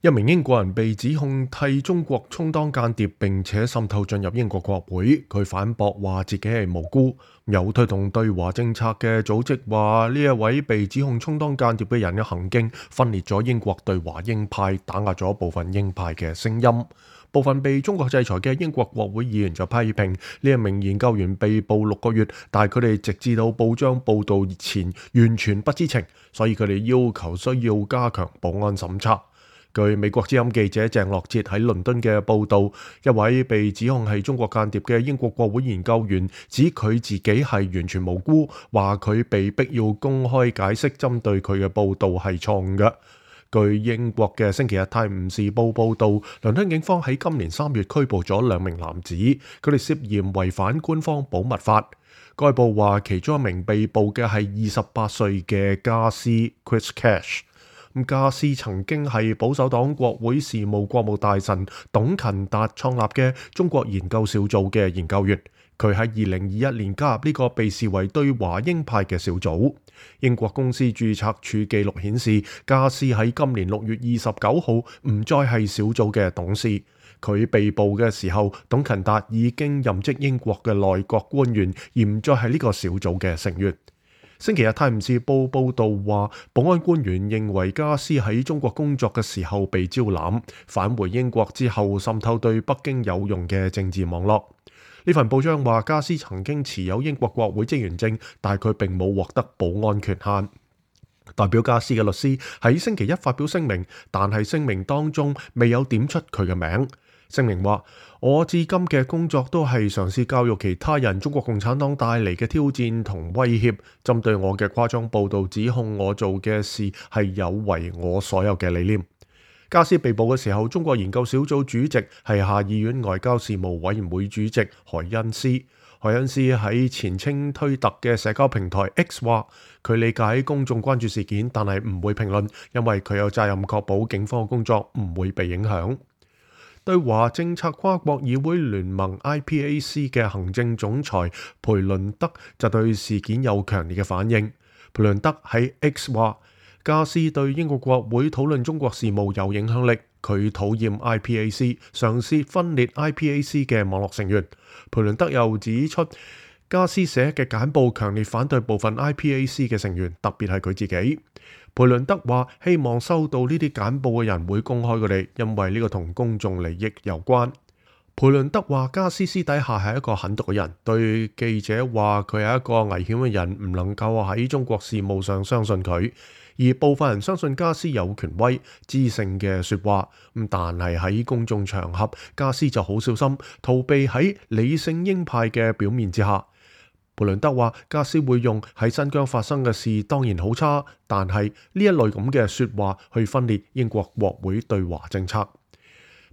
一名英國人被指控替中國充當間諜，並且滲透進入英國國會。佢反駁話自己係無辜。有推動對華政策嘅組織話，呢一位被指控充當間諜嘅人嘅行徑分裂咗英國對華鷹派，打壓咗部分鷹派嘅聲音。部分被中國制裁嘅英國國會議員就批評呢一名研究員被捕6個月，但係佢哋直至到報章報道前完全不知情，所以佢哋要求需要加強保安審查。據美國之音記者鄭樂哲喺倫敦嘅報導，一位被指控係中國間諜嘅英國國會研究員指佢自己係完全無辜，話佢被逼要公開解釋針對佢嘅報導係錯誤嘅。據英國嘅星期日泰晤士報報導，倫敦警方喺今年3月拘捕咗2名男子，佢哋涉嫌違反官方保密法。該報話其中一名被捕嘅係28歲嘅加斯 Chris Cash。加斯曾經係保守黨國會事務國務大臣董勤達創立嘅中國研究小組嘅研究員，佢喺2021年加入呢個被視為對華鷹派嘅小組。英國公司註冊處記錄顯示，加斯喺今年6月29號唔再係小組嘅董事。佢被捕嘅時候，董勤達已經任職英國嘅內閣官員，而唔再係呢個小組嘅成員。星期日泰晤士報報導話，保安官員認為加斯喺中國工作嘅時候被招攬，返回英國之後滲透對北京有用嘅政治網絡。呢份報章話，加斯曾經持有英國國會職員證，但佢並冇獲得保安權限。代表加斯嘅律師喺星期一發表聲明，但係聲明當中未有點出佢嘅名。聲明話，我至今嘅工作都係嘗試教育其他人中國共產黨帶嚟嘅挑戰同威脅。針對我嘅誇張報導指控我做嘅事係有違我所有嘅理念。加斯被捕嘅時候，中國研究小組主席係下議院外交事務委員會主席海恩斯。海恩斯喺前稱推特嘅社交平台 X 話，佢理解公眾關注事件，但係唔會評論，因為佢有責任確保警方嘅工作唔會被影響。對華政策跨國議會聯盟 IPAC 嘅行政總裁培倫德就對事件有強烈嘅反應。培倫德喺 X 話，加斯對英國國會討論中國事務有影響力，佢討厭 IPAC，嘗試分裂 IPAC 嘅網絡成員。培倫德又指出，加斯寫嘅簡報強烈反對部分 IPAC 嘅成員，特別係佢自己。培倫德話希望收到呢啲簡報嘅人會公開佢哋，因為呢個同公眾利益有關。培倫德話加斯私底下係一個狠毒嘅人，對記者話佢係一個危險嘅人，唔能夠喺中國事務上相信佢。而部分人相信加斯有權威、知性嘅說話，但係喺公眾場合，加斯就好小心，逃避喺理性鷹派嘅表面之下。培倫德話，加斯會用喺新疆發生嘅事當然好差，但係呢一類咁嘅說話去分裂英國國會對華政策。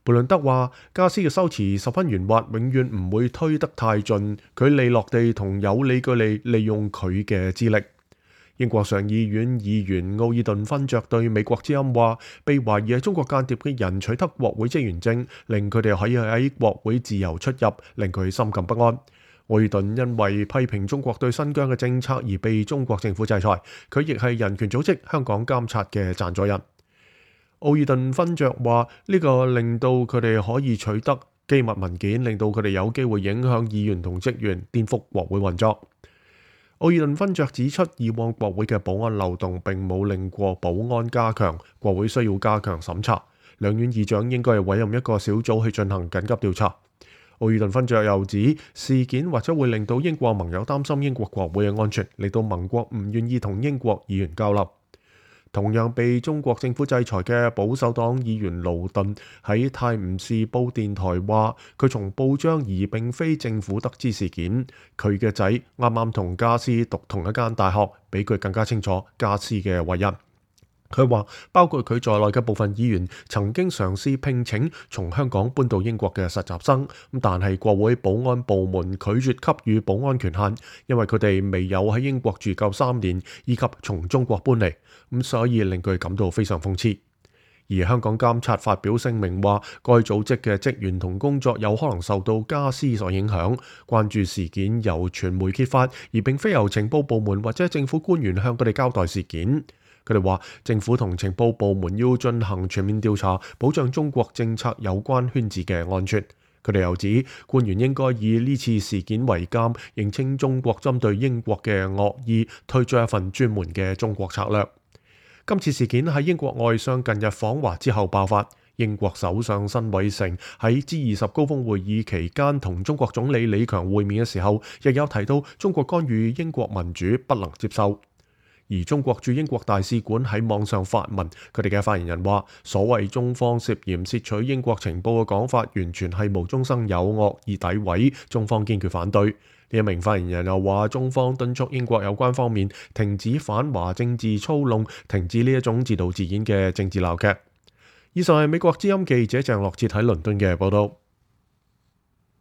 培倫德話，加斯嘅修辭十分圓滑，永遠唔會推得太盡，佢利落地同有理據地利用佢嘅資歷。英國上議院議員奧爾頓勳爵對美國之音話，被懷疑係中國間諜嘅人取得國會職員證，令佢哋可以喺國會自由出入，令佢心感不安。奧爾頓因為批評中國對新疆嘅政策而被中國政府制裁，佢亦係人權組織香港監察嘅贊助人。奧爾頓勳爵話，呢個令到佢哋可以取得機密文件，令到佢哋有機會影響議員同職員，顛覆國會運作。奧爾頓勳爵指出，以往國會嘅保安漏洞並冇令過保安加強，國會需要加強審查。兩院議長應該係委任一個小組去進行緊急調查。奧爾頓勳爵又指，事件或者會令到英國盟友擔心英國國會嘅安全，令到盟國唔願意同英國議員交流。同樣被中國政府制裁嘅保守黨議員勞頓喺泰晤士報電台話，佢從報章而並非政府得知事件。佢嘅仔啱啱同加斯讀同一間大學，比佢更加清楚加斯嘅為人。佢話，包括佢在內嘅部分議員曾經嘗試聘請從香港搬到英國嘅實習生，但係國會保安部門拒絕給予保安權限，因為佢哋未有喺英國住夠3年，以及從中國搬嚟，所以令佢感到非常諷刺。而香港監察發表聲明話，該組織嘅職員同工作有可能受到加斯所影響，關注事件由傳媒揭發，而並非由情報部門或者政府官員向佢哋交代事件。佢哋話政府同情報部門要進行全面調查，保障中國政策有關圈子嘅安全。佢哋又指官員應該以呢次事件為鑑，認清中國針對英國嘅惡意，推出一份專門嘅中國策略。今次事件喺英國外相近日訪華之後爆發。英國首相辛偉誠喺 G20 高峰會議期間同中國總理李強會面嘅時候，亦有提到中國干預英國民主不能接受。而中國駐英國大使館喺網上發文，佢哋嘅發言人話：所謂中方涉嫌竊取英國情報嘅講法，完全係無中生有、惡意詆毀，中方堅決反對。呢一名發言人又話：中方敦促英國有關方面停止反華政治操弄，停止呢一種自導自演嘅政治鬧劇。以上係美國之音記者鄭樂哲喺倫敦嘅報道。